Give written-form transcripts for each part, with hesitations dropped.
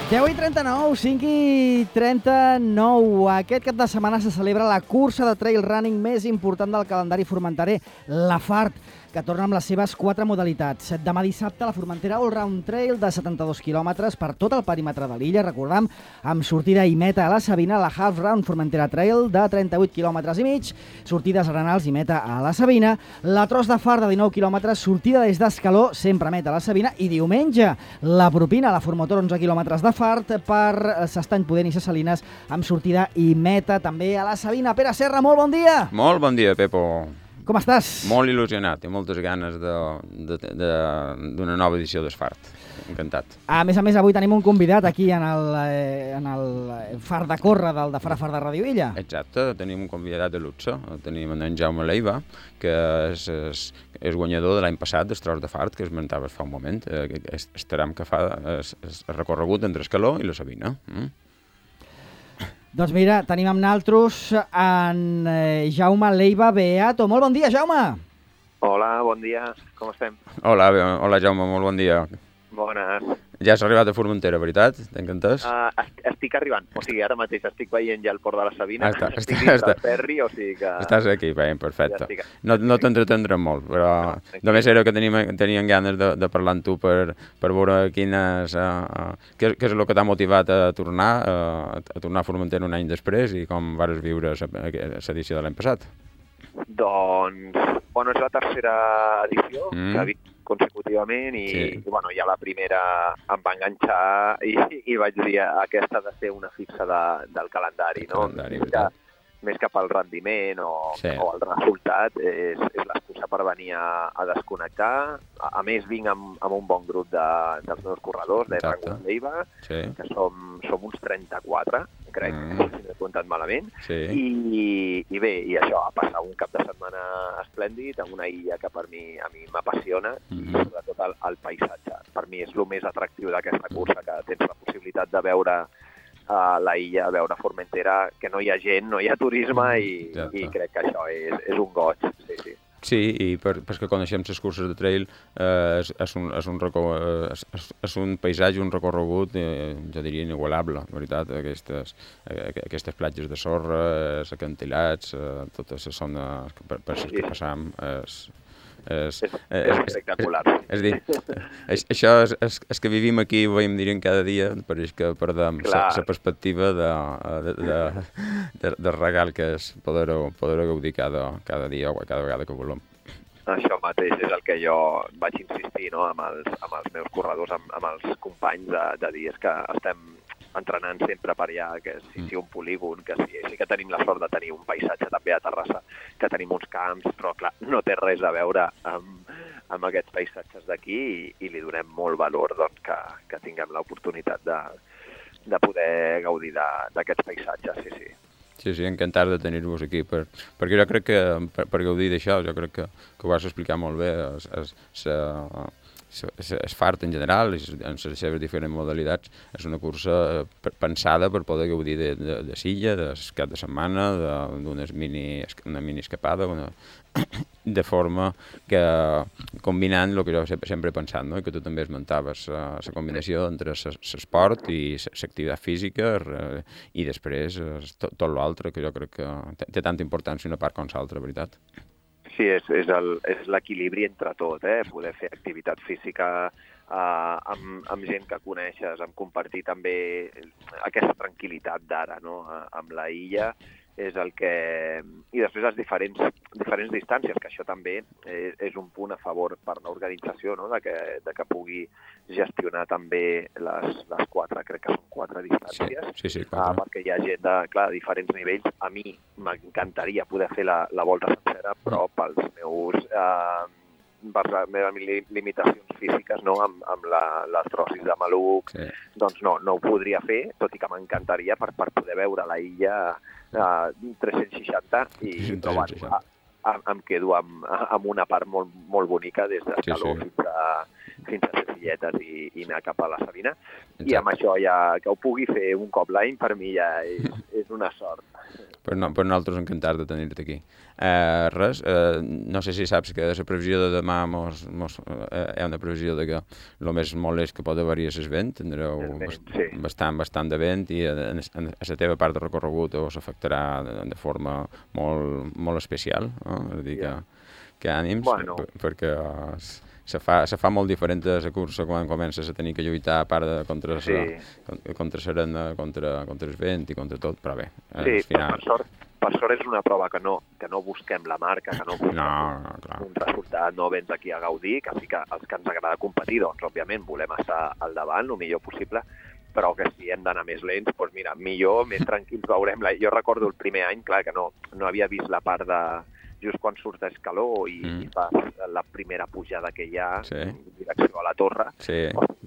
10:39, 5:39. Aquest cap de setmana se celebra la cursa de trail running més important del calendari formenterer, la FART, que torna amb les seves 4 modalitats. Demà dissabte, la Formentera All-Round Trail de 72 quilòmetres per tot el perímetre de l'illa, recordam, amb sortida i meta a la Sabina, la Half Round Formentera Trail de 38 quilòmetres i mig, sortides Arenals i meta a la Sabina, la Tros de Far de 19 quilòmetres, sortida des d'Escaló, sempre meta a la Sabina, i diumenge, la Propina, la Formotor 11 quilòmetres de Fart per s'Estany Pudent i Ses Salines, amb sortida i meta també a la Sabina. Pere Serra, molt bon dia! Molt bon dia, Pepo. Com estàs? Molt il·lusionat i moltes ganes d'una nova edició d'Esfart. Encantat. A més, avui tenim un convidat aquí en el far de córrer del de Far de Ràdio Illa. Exacte, tenim un convidat de luxe. Tenim en Jaume Leiva, que és guanyador de l'any passat dels Tros de Fart, que esmentaves fa un moment. Estarem que fa el recorregut entre Escaló i la Sabina. Doncs mira, tenim amb naltros en Jaume Leiva Beato. Molt bon dia, Jaume! Hola, bon dia. Com estem? Hola, Jaume, molt bon dia. Bones. Ja has arribat a Formentera, veritat? T'he entès? Estic arribant. O sigui, ara mateix estic veient ja el port de la Sabina. Estic dins del ferri, o sigui que... Estàs aquí, bé, perfecte. Ja no t'entretendrem molt, però només era que tenien ganes de parlar amb tu per veure què és el que t'ha motivat a tornar a Formentera un any després i com vas viure l'edició de l'any passat. Doncs, bueno, és la tercera edició que ha vist consecutivament i bueno, ja la primera em va enganxar i vaig dir aquesta ha de ser una fixa del calendari, no? Més que pel rendiment o el resultat, és l'excusa per venir a desconnectar. A més, vinc amb un bon grup dels meus corredors, de Rango Leiva, que som uns 34, crec, si no he comptat malament. I bé, i això, a passar un cap de setmana esplèndid, en una illa que a mi m'apassiona, i sobretot el paisatge. Per mi és el més atractiu d'aquesta cursa, que tens la possibilitat de veure la illa, a veure Formentera, que no hi ha gent, no hi ha turisme i crec que això és un goig, sí. Sí, i perquè coneixem les curses de trail és un paisatge, un recorregut, jo diria, inigualable, la veritat, aquestes platges de sorra, els acantilats, totes les zones per les que passam, és espectacular. És dir, això és que vivim aquí i ho veiem dir cada dia, pareix que perdem la perspectiva de regal que és poder gaudir cada dia o cada vegada que volem. Això mateix és el que jo vaig insistir, no?, amb els meus corredors, amb els companys, de dir que estem entrenant sempre per allà, que sigui un polígon, que sí que tenim la sort de tenir un paisatge també a Terrassa, que tenim uns camps, però clar, no té res a veure amb aquests paisatges d'aquí i li donem molt valor, doncs, que tinguem l'oportunitat de poder gaudir d'aquests paisatges, sí. Sí, encantat de tenir-vos aquí, perquè jo crec que per gaudir d'això, jo crec que ho vas explicar molt bé, és fart en general, en les seves diferents modalitats, és una cursa pensada per poder gaudir de silla, de cap de setmana, d'una mini escapada, de forma que combinant el que jo sempre he pensat, no? I que tu també esmentaves, la combinació entre l'esport i l'activitat física i després tot l'altre, que jo crec que té tanta importància una part com l'altra, veritat. Sí, és l'equilibri entre tot, poder fer activitat física amb gent que coneixes, amb compartir també aquesta tranquil·litat d'ara, no?, amb la illa, és el que... I després les diferents distàncies, que això també és un punt a favor per l'organització, no?, de que pugui gestionar també les 4, crec que són 4 distàncies. Sí, 4. Perquè hi ha gent de diferents nivells. A mi m'encantaria poder fer la volta sencera, però per les meves limitacions físiques, no?, amb l'artrosis de maluc, doncs no ho podria fer, tot i que m'encantaria per poder veure la illa 360 i em quedo amb una part molt bonica des d'Escaló fins a Sesilletes i anar cap a la Sabina. Exacte. I amb això ja que ho pugui fer un cop l'any, per mi ja és una sort. Per nosaltres encantats de tenir-te aquí. Res, no sé si saps que la previsió de demà hi ha una previsió de que el més molt és que pot haver-hi el vent, tindreu bastant de vent i a la teva part de recorregut us afectarà de forma molt especial, no? És a dir, que ànims, perquè se fa molt diferent de la cursa quan comences a tenir que lluitar a part contra l'arena, contra el vent i contra tot, però bé, al final... Per sort és una prova que no busquem la marca, que no busquem un resultat, no vens aquí a gaudir, que sí que els que ens agrada competir, doncs òbviament volem estar al davant el millor possible, però que si hem d'anar més lents, doncs mira, millor, més tranquils veurem. Jo recordo el primer any, clar, que no havia vist la part de just quan surt d'escaló i fas la primera pujada que hi ha en direcció a la torre,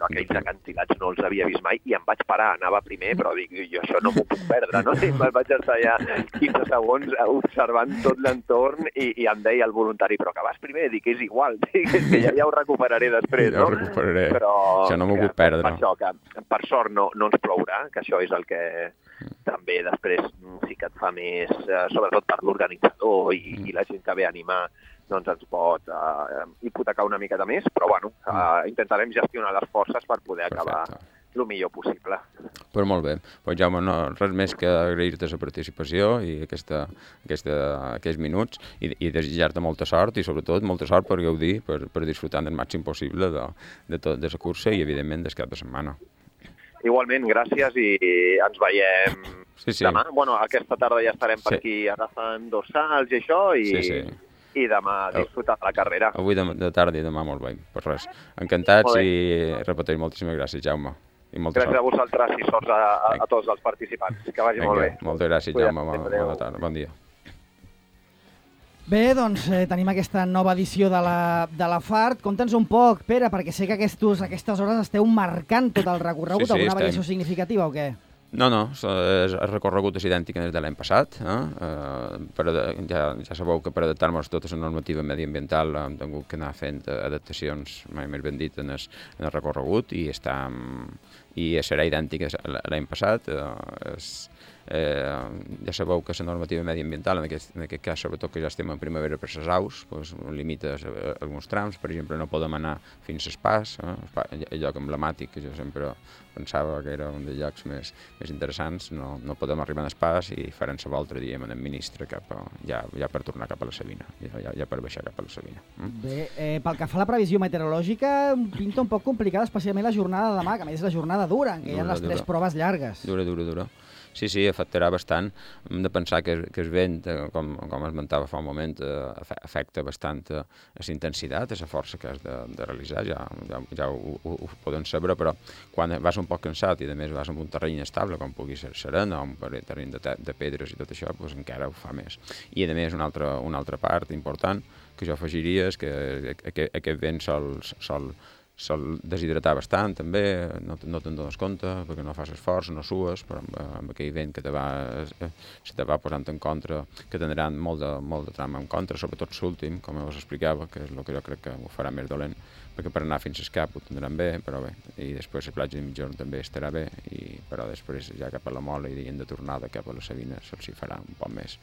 aquells acantilats no els havia vist mai i em vaig parar, anava primer, però dic, jo això no m'ho puc perdre, no? I me'n vaig estar allà 15 segons observant tot l'entorn i em deia el voluntari, però que vas primer? Dic, és igual, dic, és que ja ho recuperaré després, no? Ja ho recuperaré, això no m'ho puc perdre. Per això, que per sort no ens plourà, que això és el que també després sí que et fa més, sobretot per l'organitzador i la gent que ve a animar, doncs ens pot hipotecar una miqueta més, però bueno, intentarem gestionar les forces per poder acabar el millor possible. Però molt bé. Pues, Jaume, res més que agrair-te la participació i aquests minuts i desitjar-te molta sort i sobretot molta sort per gaudir, per disfrutar el màxim possible de la cursa i evidentment del cap de setmana. Igualment, gràcies i ens veiem demà. Bueno, aquesta tarda ja estarem per aquí agafant dorsals i això i demà disfrutar de la carrera. Avui de tarda i demà molt bé. Pues res, encantats i repetir moltíssimes gràcies, Jaume. Gràcies a vosaltres i sorts a tots els participants. Que vagi molt bé. Moltes gràcies, Jaume. Bona tarda. Bon dia. Bé, doncs tenim aquesta nova edició de la FART. Conta'ns un poc, Pere, perquè sé que aquestes hores esteu marcant tot el recorregut. Alguna variació significativa o què? No, el recorregut és idèntic des de l'any passat. Ja sabeu que per adaptar-nos a tota la normativa mediambiental hem tingut que anar fent adaptacions, mai més ben dit, en el recorregut i serà idèntic l'any passat. Ja sabeu que la normativa mediambiental, en aquest cas, sobretot que ja estem en primavera per les aus, limita alguns trams. Per exemple, no podem anar fins a Espàs, el lloc emblemàtic que jo sempre pensava que era un dels llocs més interessants. No podem arribar a Espàs i farem la volta, diem, en el ministre ja per tornar cap a la Sabina, ja per baixar cap a la Sabina. Bé, pel que fa a la previsió meteorològica, pinta un poc complicada, especialment la jornada de demà, que a més és la jornada dura, en què hi ha les 3 proves llargues. Dura. Sí, afectarà bastant. Hem de pensar que el vent, com esmentava fa un moment, afecta bastant a la intensitat, a la força que has de realitzar, ja ho podem saber, però quan vas un poc cansat i a més vas en un terreny estable, com pugui ser serena, o un terreny de pedres i tot això, doncs encara ho fa més. I a més una altra part important que jo afegiria és que aquest vent sol deshidratar bastant, també, no te'n dones compte, perquè no fas esforç, no sues, però amb aquell vent que se te va posant en contra, que tindran molt de tram en contra, sobretot l'últim, com us explicava, que és el que jo crec que ho farà més dolent, perquè per anar fins al cap ho tindran bé, però bé, i després la platja de mitjorn també estarà bé, però després ja cap a la Mola i de tornada cap a la Sabina se'ls farà un poc més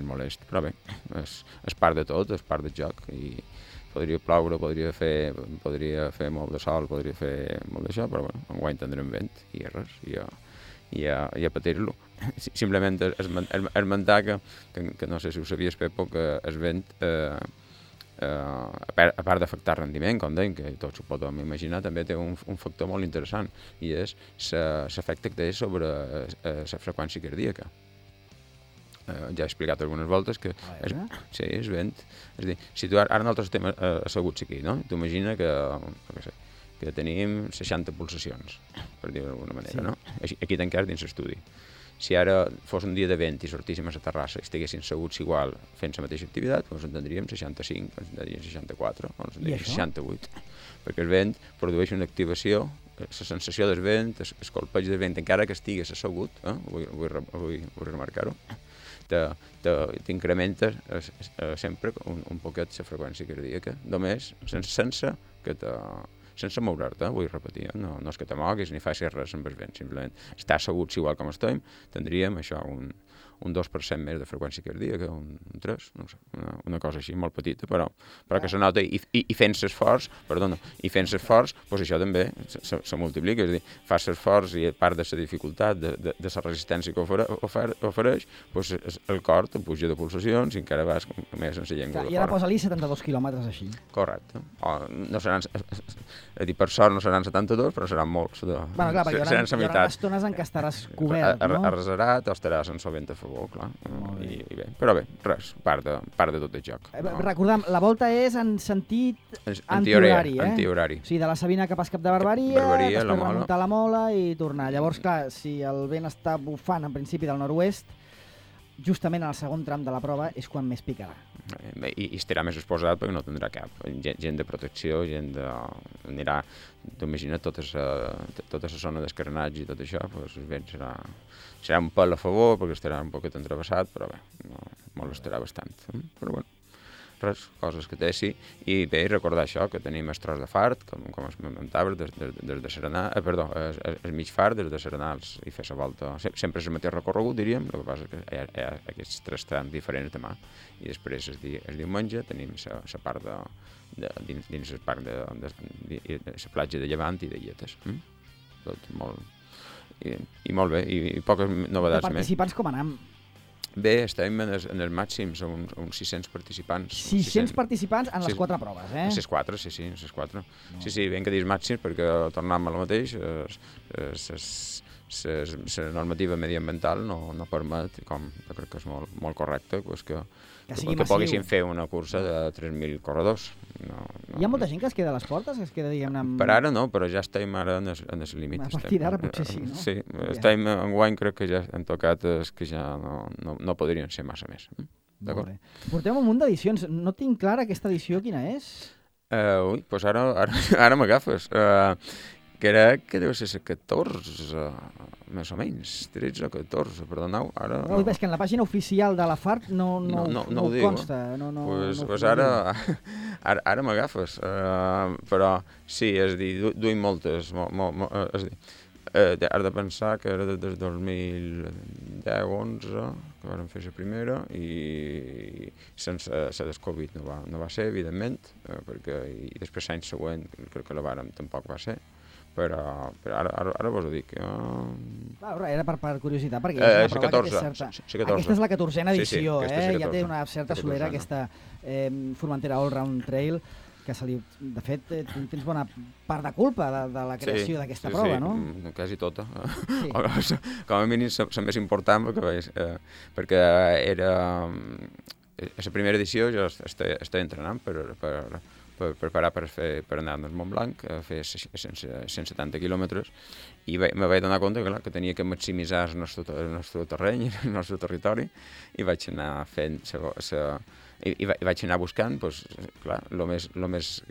molest, però bé, és part de tot, és part del joc, i podria ploure, podria fer molt de sol, podria fer molt d'això, però bueno, enguany tindrem vent i res, i a patir-lo. Simplement esmentar que no sé si ho sabies, Pepo, que el vent, a part d'afectar rendiment, com dèiem, que tots ho podem imaginar, també té un factor molt interessant, i és l'efecte que té sobre la freqüència cardíaca. Ja he explicat algunes voltes que és vent. És a dir, si tu ara nosaltres estem asseguts aquí, no? Tu imagina que tenim 60 pulsacions, per dir-ho d'alguna manera, no? Aquí tancats dins l'estudi. Si ara fos un dia de vent i sortíssim a la terrassa i estiguéssim asseguts igual fent la mateixa activitat, doncs en tindríem 65, ens en tindríem 64, o ens en tindríem 68. Perquè el vent produeix una activació, la sensació del vent, el colpeig del vent, encara que estigués assegut, vull remarcar-ho, t'incrementa sempre un poquet la freqüència cardíaca, només sense sense moure't, vull repetir, no és que te moguis ni facis res amb el vent, simplement estar asseguts igual com estem, tindríem això, un 2% més de freqüència cardíaca, un 3, no sé, una cosa així, molt petita, però que se nota, i fent l'esforç, doncs això també se multiplica, és a dir, fas l'esforç i a part de la dificultat, de la resistència que ofereix, doncs el cor te puja de pulsacions i encara vas més sense llengua de fora. I ara posa-li 72 quilòmetres així. Correcte. No seran, per sort no seran 72, però seran molts. Bueno, clar, perquè hi haurà estones en què estaràs cobert, no? Arresarat o estaràs en sovint a favor, clar. I bé. Però bé, res, part de tot el joc. Recordem, la volta és en sentit antihorari, antihorari. O sigui, de la Sabina cap a Cap de Barbaria, després remuntar la Mola i tornar. Llavors, clar, si el vent està bufant en principi del nord-oest, justament en el segon tram de la prova és quan més picarà. I estarà més exposat perquè no tindrà cap. Gent de protecció, anirà, t'imagina't, tota la zona d'escarnats i tot això, doncs el vent serà un pèl a favor perquè estarà un poquet entrevessat, però bé, molestarà bastant. Però bueno, res, coses que té, sí. I bé, recordar això, que tenim el tros de fart, com es comentaves, des de Serenar, el mig fart, des de Serenals, i fer la volta. Sempre és el mateix recorregut, diríem, el que passa que hi ha aquests 3 trams diferents demà. I després, el diumenge, tenim la part dins el parc de la platja de Llevant i de Lletes. Tot molt... I molt bé, i poques novetats més. De participants com anem? Bé, estem en els màxims, uns 600 participants. 600 participants en les 4 proves, eh? En les 4, sí, en les 4. Sí, ben que dius màxims, perquè tornem a lo mateix, la normativa mediambiental no permet, com jo crec que és molt correcte, que poguessin fer una cursa de 3.000 corredors. Hi ha molta gent que es queda a les portes? Que es queda, diguem-ne... Per ara no, però ja estem ara en els límits. A partir d'ara potser sí, no? Sí, estem enguany, crec que ja han tocat que ja no podrien ser massa més. D'acord. Portem un munt d'edicions. No tinc clara aquesta edició quina és. Doncs ara m'agafes. Crec que deu ser la 14, més o menys, 13 o 14, perdoneu. És que en la pàgina oficial de la FARC no ho consta. Doncs ara m'agafes. Però sí, és a dir, duim moltes. Has de pensar que era des del 2010-11 que vam fer la primera i sense la del Covid no va ser, evidentment, perquè i després l'any següent crec que la vàrem tampoc va ser. Però ara vos ho dic. Era per curiositat, perquè és una prova que té certa... Aquesta és la 14a edició, ja té una certa solera, aquesta Formentera All Round Trail, que de fet tens bona part de culpa de la creació d'aquesta prova, no? Sí, quasi tota. Com a mínim la més important, perquè era... A la primera edició jo estava entrenant per preparar per anar al Montblanc, a fer 170 quilòmetres, i me vaig donar compte que tenia que maximitzar el nostre terreny, el nostre territori, i vaig anar fent i vaig anar buscant, el més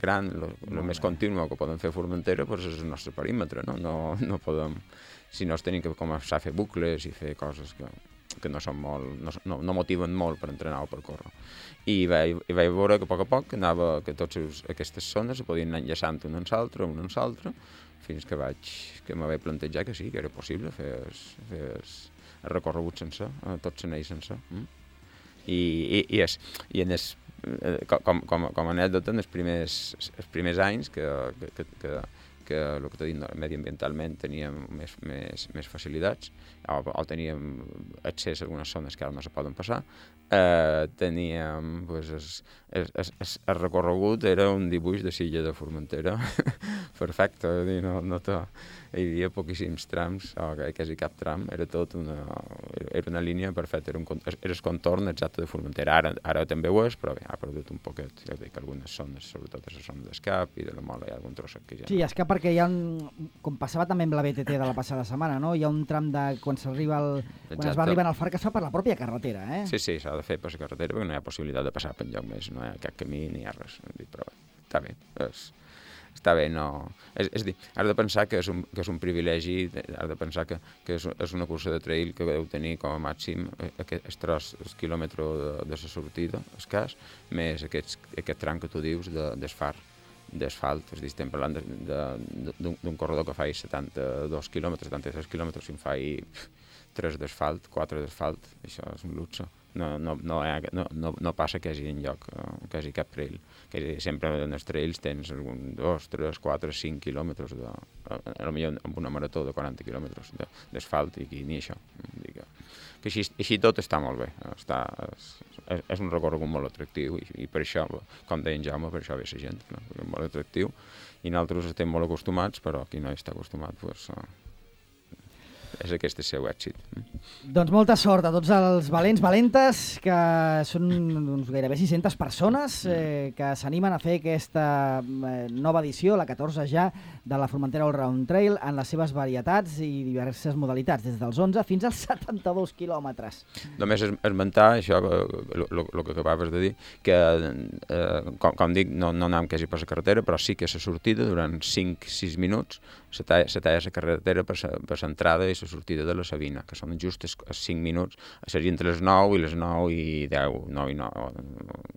gran, el més continu que podem fer a Formentera és el nostre perímetre, no podem, si no tenim que començar a fer bucles i fer coses que no motiven molt per entrenar o per córrer. I vaig veure que a poc que totes aquestes zones se podien anar enllaçant una en l'altra, fins que me vaig plantejar que sí, que era possible fer el recorregut sencer, tot l'anell sencer. Com a anècdota, en els primers anys que el que t'he dit, mediambientalment teníem més facilitats, o teníem accés a algunes zones que ara no se poden passar, teníem el recorregut era un dibuix de Silla de Formentera perfecte, hi havia poquíssims trams, quasi cap tram, era una línia perfecta, era el contorn exacte de Formentera. Ara també ho és, però bé, ha perdut un poquet, ja dic, algunes zones, sobretot a la zona d'Escap i de la Mola hi ha algun trosset que ja... Sí, Escap perquè hi ha com passava també amb la BTT de la passada setmana, no? Hi ha un tram quan es va arribant al far que es fa per la pròpia carretera, eh? Sí, s'ha de fer per la carretera perquè no hi ha possibilitat de passar per enlloc més, no hi ha cap camí ni hi ha res, però bé, està bé, no... És a dir, has de pensar que és un privilegi, has de pensar que és una cursa de trail que deu tenir com a màxim el quilòmetre de la sortida, escàs, més aquest tram que tu dius del far. d'asfalt, és a dir, estem parlant d'un corredor que faci 72 quilòmetres, 73 quilòmetres, i en faci 3 d'asfalt, 4 d'asfalt, això és un luxe. No passa que hi hagi enlloc, que hi hagi cap trail. Sempre en els trails tens 2, 3, 4, 5 quilòmetres, potser amb una marató de 40 quilòmetres d'asfalt, i aquí ni això. Que així tot està molt bé. És un recorregut molt atractiu, i per això, com deia en Jaume, per això ve la gent, no? És molt atractiu, i nosaltres estem molt acostumats, però qui no hi està acostumat, doncs, és aquest el seu èxit. Doncs molta sort a tots els valents, valentes, que són gairebé 600 persones que s'animen a fer aquesta nova edició, la 14 ja, de la Formentera All Round Trail, en les seves varietats i diverses modalitats, des dels 11 fins als 72 quilòmetres. Només esmentar això, el que acabaves de dir, que, com dic, no anem quasi per la carretera, però sí que la sortida, durant 5-6 minuts, se talla la carretera per l'entrada i la sortida de la Sabina, que són just els 5 minuts, seria entre les 9 i les 9 i 10, 9 i 9.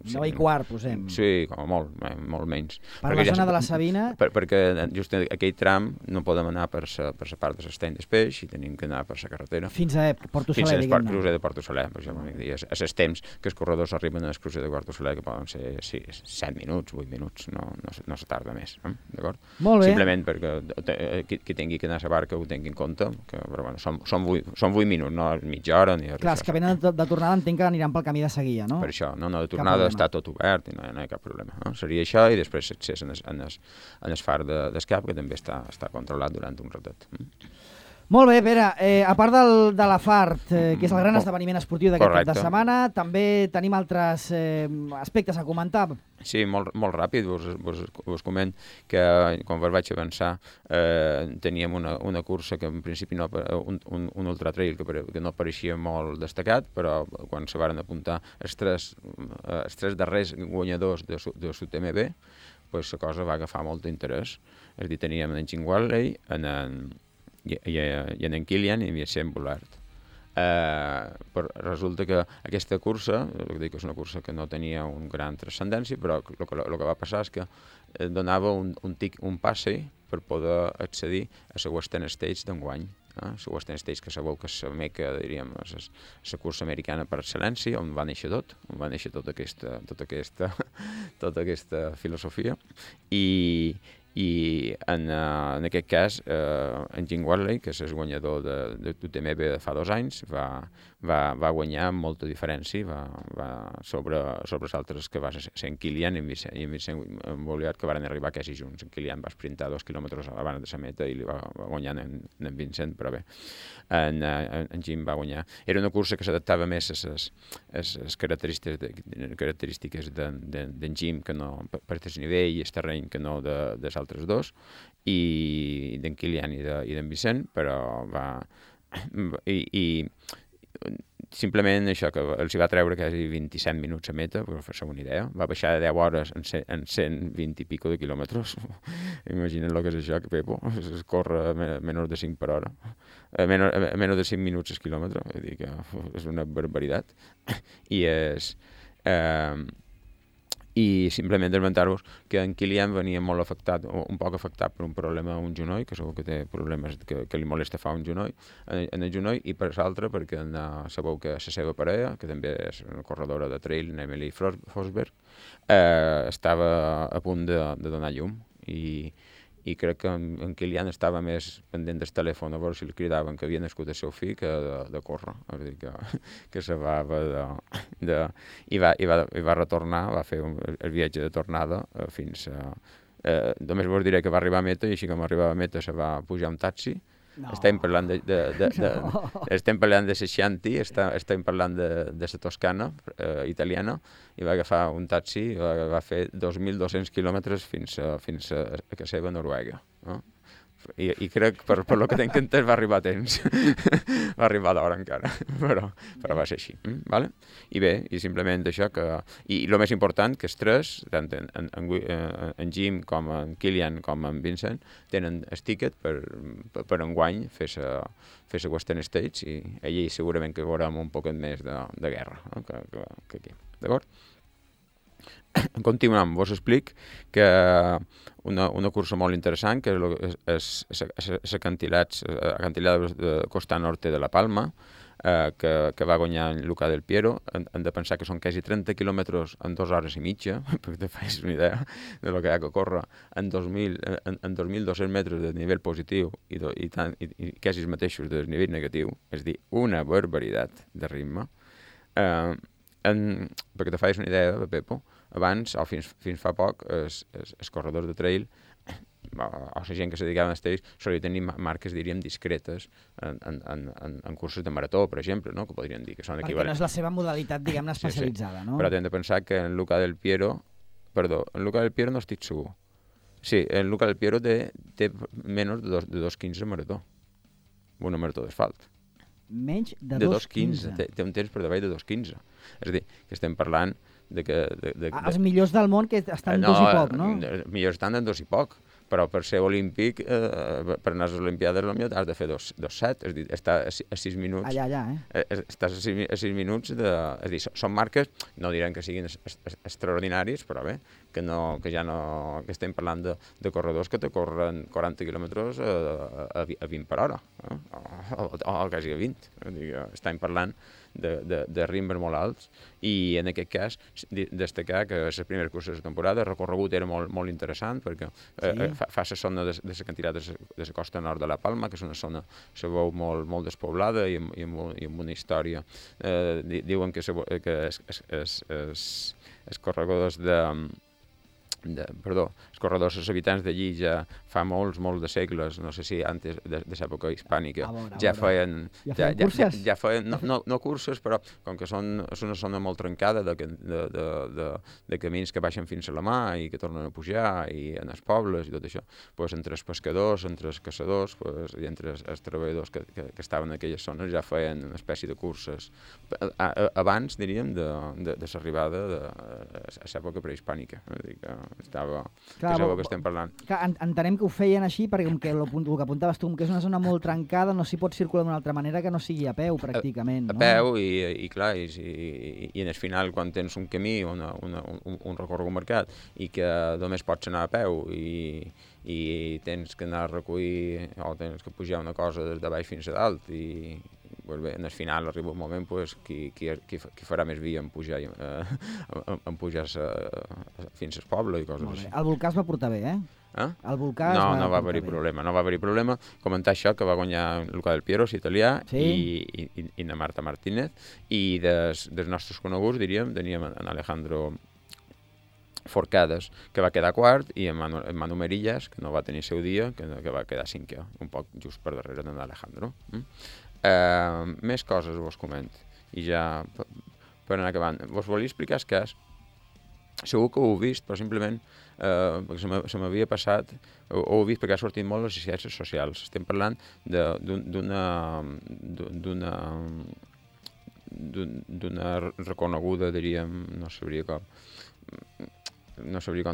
9 i quart, posem. Sí, com a molt menys. Per la zona de la Sabina? Perquè just aquell tram no podem anar per la part de l'estany d'Espeix, i tenim que anar per la carretera. Fins a Porto Soler, diguem-ne. Fins al crucer de Porto Soler, per exemple. A els temps que els corredors arriben al crucer de Porto Soler, que poden ser 7 minuts, 8 minuts, no se tarda més. D'acord? Molt bé. Simplement perquè qui tingui que anar a la barca ho tingui en compte, però bueno, són 8 minuts, no mitja hora ni res. Clar, els que venen de tornada entenc que aniran pel camí de seguida, no? Per això, de tornada està tot obert i no hi ha cap problema. Seria això, i després l'accés en el far d'escap, que també està controlat durant un ratet. Molt bé, Pere, a part de la FART, que és el gran esdeveniment esportiu d'aquest cap de setmana, també tenim altres aspectes a comentar. Sí, molt ràpid, vos coment que quan vaig avançar teníem una cursa que en principi un ultra trail que no pareixia molt destacat, però quan se varen apuntar els tres darrers guanyadors de l'UTMB, la cosa va agafar molt d'interès. És a dir, teníem en Jim Walley, i en Kilian i en Vicent Boulard. Però resulta que aquesta cursa, és una cursa que no tenia una gran transcendència, però el que va passar és que donava un passe per poder accedir a la Western States d'enguany. La Western States, que sabeu que és la meca, diríem, la cursa americana per excel·lència, on va néixer tot, on va néixer tota aquesta filosofia, i en aquest cas en Jim Walley, que és el guanyador de l'UTMB de fa 2 anys, va guanyar amb molta diferència sobre els altres, que va ser en Kilian i en Vicent Boulard, que van arribar quasi junts. En Kilian va sprintar 2 quilòmetres abans de la meta i li va guanyar en Vicent, però bé, en Jim va guanyar. Era una cursa que s'adaptava més a les característiques d'en Jim, que no per el nivell i el terreny, que no dels altres dos, i d'en Kilian i d'en Vicent, però simplement això, que els hi va treure quasi 27 minuts a meta, per fer-se una idea. Va baixar de 10 hores en 120 i pico de quilòmetres. Imagina't el que és això, que Pepo, es corre a menys de 5 per hora. A menys de 5 minuts el quilòmetre, vull dir que és una barbaritat. I simplement esmentar-vos que en Kilian venia molt afectat, un poc afectat per un problema a un genoll, que segur que té problemes que li molesta fa un genoll, en el genoll, i per l'altre perquè sabeu que la seva parella, que també és una corredora de trail, Emily Forsberg, estava a punt de donar llum, i crec que en Kilian estava més pendent del telèfon a veure si li cridaven que havia nascut el seu fill que de córrer. És a dir, que se va i va retornar, va fer el viatge de tornada fins a... Només vos diré que va arribar a meta, i així com arribava a meta se va pujar un taxi. Estem parlant estem parlant de Seixanti, estem parlant de la Toscana italiana, i va agafar un taxi i va fer 2.200 quilòmetres fins a casa seva, Noruega. I crec, per lo que tenc entès, va arribar a temps. Va arribar d'hora encara, però va ser així. Vale? I bé, i simplement això que... I el més important, que els tres, tant en Jim com en Kilian com en Vincent, tenen el tiquet per enguany fer la Western States, i allí segurament que veurem un poquet més de guerra que aquí. D'acord? Continuem, vos explic que una cursa molt interessant, que és acantilats de Costa Norte de la Palma, que va guanyar en Luca del Piero. Hem de pensar que són quasi 30 quilòmetres en 2 hores i mitja, perquè te facis una idea de lo que hi ha que córrer en 2.200 metres de nivell positiu i quasi els mateixos de nivell negatiu, és a dir, una barbaritat de ritme. Perquè te facis una idea, Pepo, abans, o fins fa poc, els corredors de trail, o la gent que se dedicava als trails, solia tenir marques, diríem, discretes en curses de marató, per exemple, no? Que podríem dir que són equivalents. Perquè no és la seva modalitat, diguem-ne, especialitzada, no? Però hem de pensar que en Luca del Piero no estic segur. Sí, en Luca del Piero té menys de 2.15 marató. Una marató d'asfalt. Menys de 2.15. Té un temps per davall de 2.15. És a dir, que estem parlant de que... Els millors del món que estan en 2 i poc, no? Millors estan en 2 i poc, però per ser olímpic, per anar a les Olimpiades, has de fer 2.7, és a dir, està a 6 minuts... Allà, Estàs a 6 minuts de... És a dir, són marques, no direm que siguin extraordinaris, però bé, que estem parlant de corredors que te corren 40 quilòmetres a 20 per hora, o quasi a 20. Estem parlant de ritmes molt alts, i en aquest cas destacar que les primeres curses de temporada el recorregut era molt interessant, perquè fa la zona de l'acantilat de la costa nord de la Palma, que és una zona, se veu molt despoblada i amb una història. Diuen que els corredors els corredors, els habitants d'allí ja fa molts de segles, no sé si antes de l'època hispànica, ja feien curses? Ja feien, no curses, però com que és una zona molt trencada de camins que baixen fins a la mà i que tornen a pujar, i en els pobles i tot això, doncs entre els pescadors, entre els caçadors i entre els treballadors que estaven en aquelles zones ja feien una espècie de curses abans, diríem, de l'arribada de l'època prehispànica. Estava... Clar, que és el que estem parlant. Entenem que ho feien així perquè com que el que apuntaves tu, que és una zona molt trencada, no s'hi pot circular d'una altra manera que no sigui a peu, pràcticament. A peu i clar, i en el final, quan tens un camí, un recorregut marcat, i que només pots anar a peu i tens que anar a recollir o tens que pujar una cosa des de baix fins a dalt i bé, en el final arriba un moment qui farà més via en pujar fins al poble i coses així. El volcà es va portar bé, eh? El volcà no va haver-hi problema. Comentar això, que va guanyar Luca del Piero, italià, i na Marta Martínez, i dels nostres coneguts, diríem, teníem en Alejandro Forcades, que va quedar quart, i en Manu Merillas, que no va tenir seu dia, que va quedar cinquè, un poc just per darrere d'en Alejandro. Més coses vos comento, i ja per anar acabant. Vos volia explicar el cas. Segur que ho heu vist, però simplement perquè se m'havia passat, ho heu vist perquè ha sortit molt les ciències socials. Estem parlant d'una reconeguda, diríem, no sabria com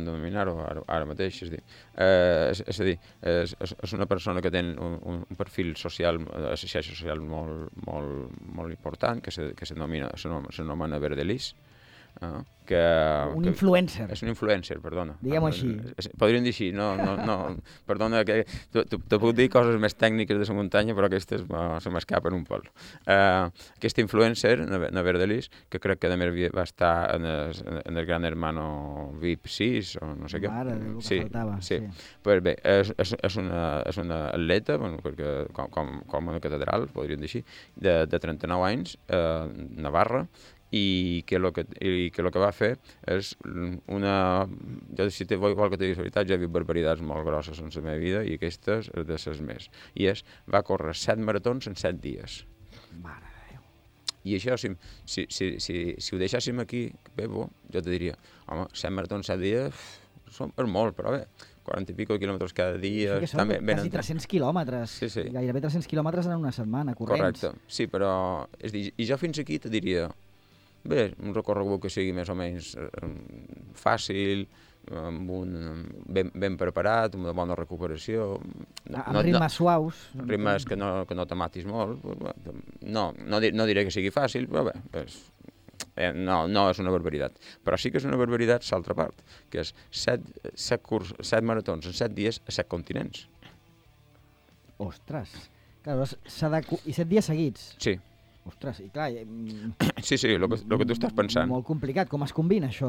denominar-ho ara mateix, és a dir, és una persona que té un perfil social, xarxa social molt important, que s'anomena Verdelis, un influencer. És un influencer, perdona. Diguem-ho així. Podríem dir així, no, perdona, que te puc dir coses més tècniques de la muntanya, però aquestes se m'escapen un pol. Aquest influencer, na Verdelis, que crec que a més va estar en el Gran Hermano VIP 6, o no sé què. Mare, el que faltava. Sí. Pues bé, és una atleta, perquè com una catedral, podríem dir així, de 39 anys, Navarra, i que el que va fer és jo si vol que te digui la veritat, ja he vist barbaritats molt grosses en la meva vida, i aquestes és de les més, i va córrer 7 maratons en 7 dies. Mare de Déu. I això, si ho deixàssim aquí, Pepo, jo te diria, home, 7 maratons en 7 dies és molt, però bé, 40 i pico quilòmetres cada dia... Sí, que són quasi 300 quilòmetres. Sí. Gairebé 300 quilòmetres en una setmana, corrents. Correcte, sí, però... És dir, i jo fins aquí te diria... Bé, un recorregut que sigui més o menys fàcil, ben preparat, amb una bona recuperació... Amb ritmes suaus. Ritmes que no te matis molt. No diré que sigui fàcil, però bé, no és una barbaritat. Però sí que és una barbaritat l'altra part, que és 7 maratons en 7 dies a 7 continents. Ostres. Clar, i 7 dies seguits. Sí. Ostres, i clar... Sí, el que tu estàs pensant. Molt complicat, com es combina això?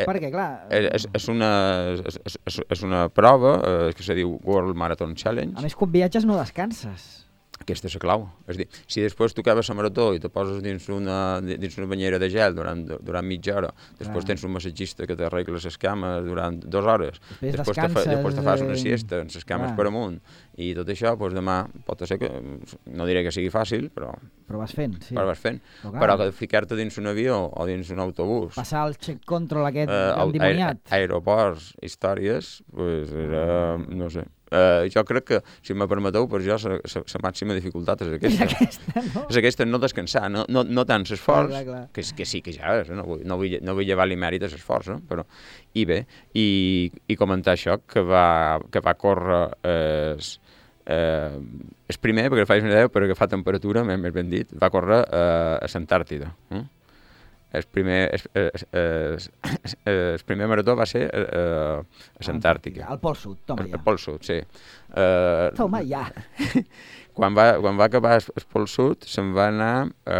Perquè, clar... És una prova que se diu World Marathon Challenge. A més, quan viatges no descanses. Aquesta és la clau. És a dir, si després tu acabes la marató i te poses dins una banyera de gel durant mitja hora, després tens un massatgista que t'arregla les cames durant 2 hores, després te fas una siesta amb les cames per amunt, i tot això, doncs demà pot ser que, no diré que sigui fàcil, però vas fent, sí. Però que ficar-te dins un avió o dins un autobús... Passar el check control aquest endimoniat. Aeroports, històries, doncs era, no sé... jo crec que, si me permeteu, per jo la màxima dificultat és aquesta. És aquesta, no descansar, no tant l'esforç, que sí que ja és, no vull llevar-li mèrit a l'esforç, però... I bé, i comentar això, que va córrer el primer, perquè facis una idea, per agafar temperatura, més ben dit, va córrer a l'Antàrtida. El primer marató va ser a l'Antàrtica. Al Pol Sud, toma ja. Al Pol Sud, sí. Toma ja. Quan va acabar el Pol Sud, se'n va anar a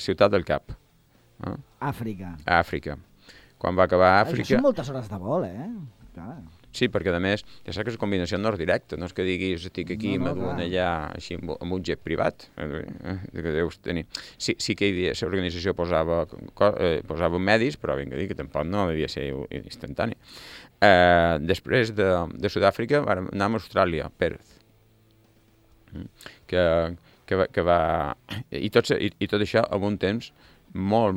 Ciutat del Cap. Àfrica. A Àfrica. Quan va acabar a Àfrica... Això són moltes hores de vol, Clar. Sí, perquè a més, ja saps que és combinació no és directa, no és que diguis estic aquí i m'aduen allà així amb un jet privat, que deus tenir. Sí que hi havia, l'organització posava medis, però vinga dir que tampoc no devia ser instantani. Després de Sud-àfrica vam anar a Austràlia, Perth, que va... I tot això amb un temps molt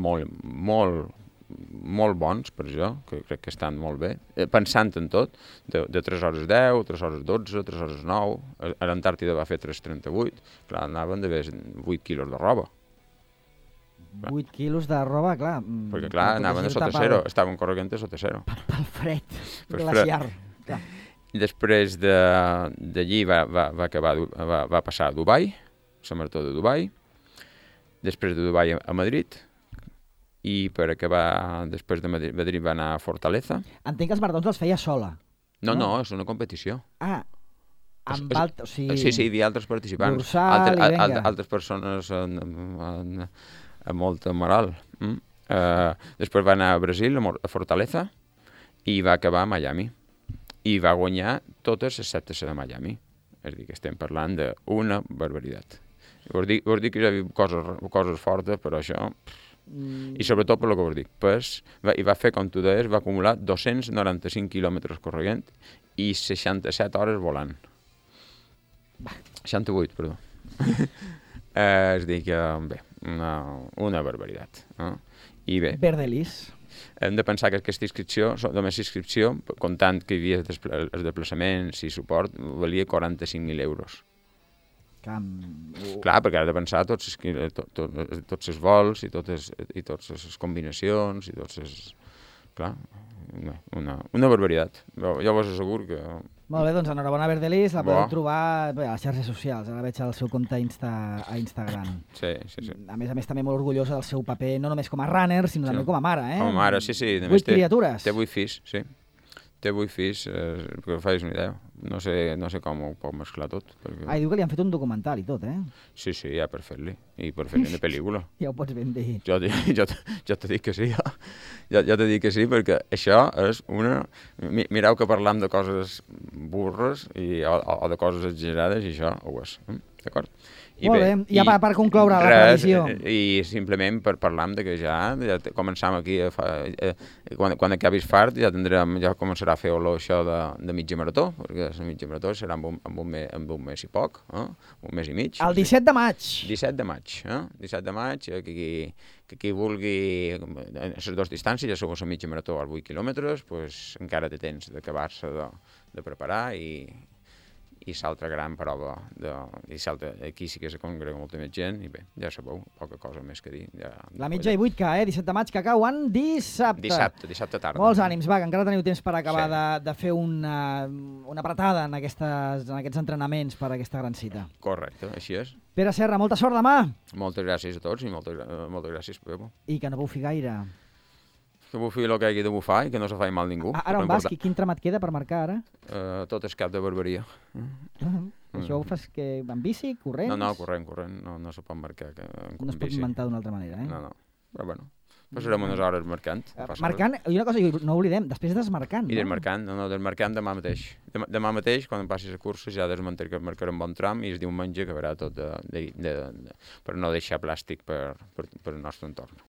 bons per jo, que crec que estan molt bé, pensant en tot, de 3 hores 10, 3 hores 12, 3 hores 9, a l'Antàrtida va fer 3:38, clar, anaven d'haver 8 quilos de roba. 8 quilos de roba, clar. Perquè clar, anaven a sota zero, estaven corrent a sota zero. Pel fred glaciar. Després d'allí va passar a Dubai, la marató de Dubai, després de Dubai a Madrid, i per acabar, després de Madrid va anar a Fortaleza. Entenc que els maratons els feia sola. No, és una competició. Amb altres... Sí, hi havia altres participants. Dorsal i venga. Altres persones amb molta moral. Després va anar a Brasil, a Fortaleza, i va acabar a Miami. I va guanyar totes excepte la de Miami. És a dir, que estem parlant d'una barbaritat. Vos dic que hi havia coses fortes, però això... I sobretot per el que vos dic, i va fer, com tu deies, va acumular 295 quilòmetres corrent i 67 hores volant. 68, perdó. És dir que, bé, una barbaritat. I bé... Verdelis. Hem de pensar que aquesta inscripció, només inscripció, comptant que hi havia els desplaçaments i suport, valia 45.000 euros. Clar, perquè has de pensar tots els vols i totes les combinacions i tots els... Clar, una barbaritat. Jo vos asseguro que... Molt bé, doncs enhorabona Verdelis, la podeu trobar a les xarxes socials. Ara veig el seu compte a Instagram. Sí. A més, també molt orgullosa del seu paper, no només com a runner, sinó també com a mare, Com a mare, sí. 8 criatures. Té 8 fills, sí. Té 8 fills, perquè facis una idea. No sé com ho pot mesclar tot. Perquè... I diu que li han fet un documental i tot, Sí, ja per fer-li. I per fer-li una pel·lícula. Ja ho pots ben dir. Jo t'he dit que sí, jo t'he dit que sí, perquè això és una... Mireu que parlam de coses burres o de coses exagerades i això ho és. D'acord? Molt bé, ja per concloure la previsió. I simplement per parlar de que ja començam aquí, quan acabis fart ja començarà a fer olor això de mitja marató, perquè la mitja marató serà amb un mes i poc, un mes i mig. El 17 de maig. 17 de maig, 17 de maig, que qui vulgui les dues distàncies, ja sou la mitja marató als 8 quilòmetres, encara té temps d'acabar-se de preparar i i l'altra gran prova, aquí sí que se congrega molta més gent, i bé, ja sabeu, poca cosa més que dir. La mitja i 8K, 17 de maig, que cauen dissabte. Dissabte tarda. Molts ànims, va, que encara teniu temps per acabar de fer una apretada en aquests entrenaments per a aquesta gran cita. Correcte, així és. Pere Serra, molta sort demà! Moltes gràcies a tots i moltes gràcies, Pepo. I que no bufi gaire. Que bufi el que hagi de bufar i que no se faci mal ningú. Ara on vas? Quin tram et queda per marcar ara? Tot és cap de barberia. Això ho fas en bici, corrents? No, corrent, no se pot marcar en bici. No es pot inventar d'una altra manera, No, però bueno, passarem unes hores marcant. Marcant, i una cosa, no oblidem, després desmarcant. I desmarcant, desmarcant demà mateix. Demà mateix, quan em passis a cursa, ja desmarcarem bon tram i el diumenge acabarà tot per no deixar plàstic per al nostre entorn.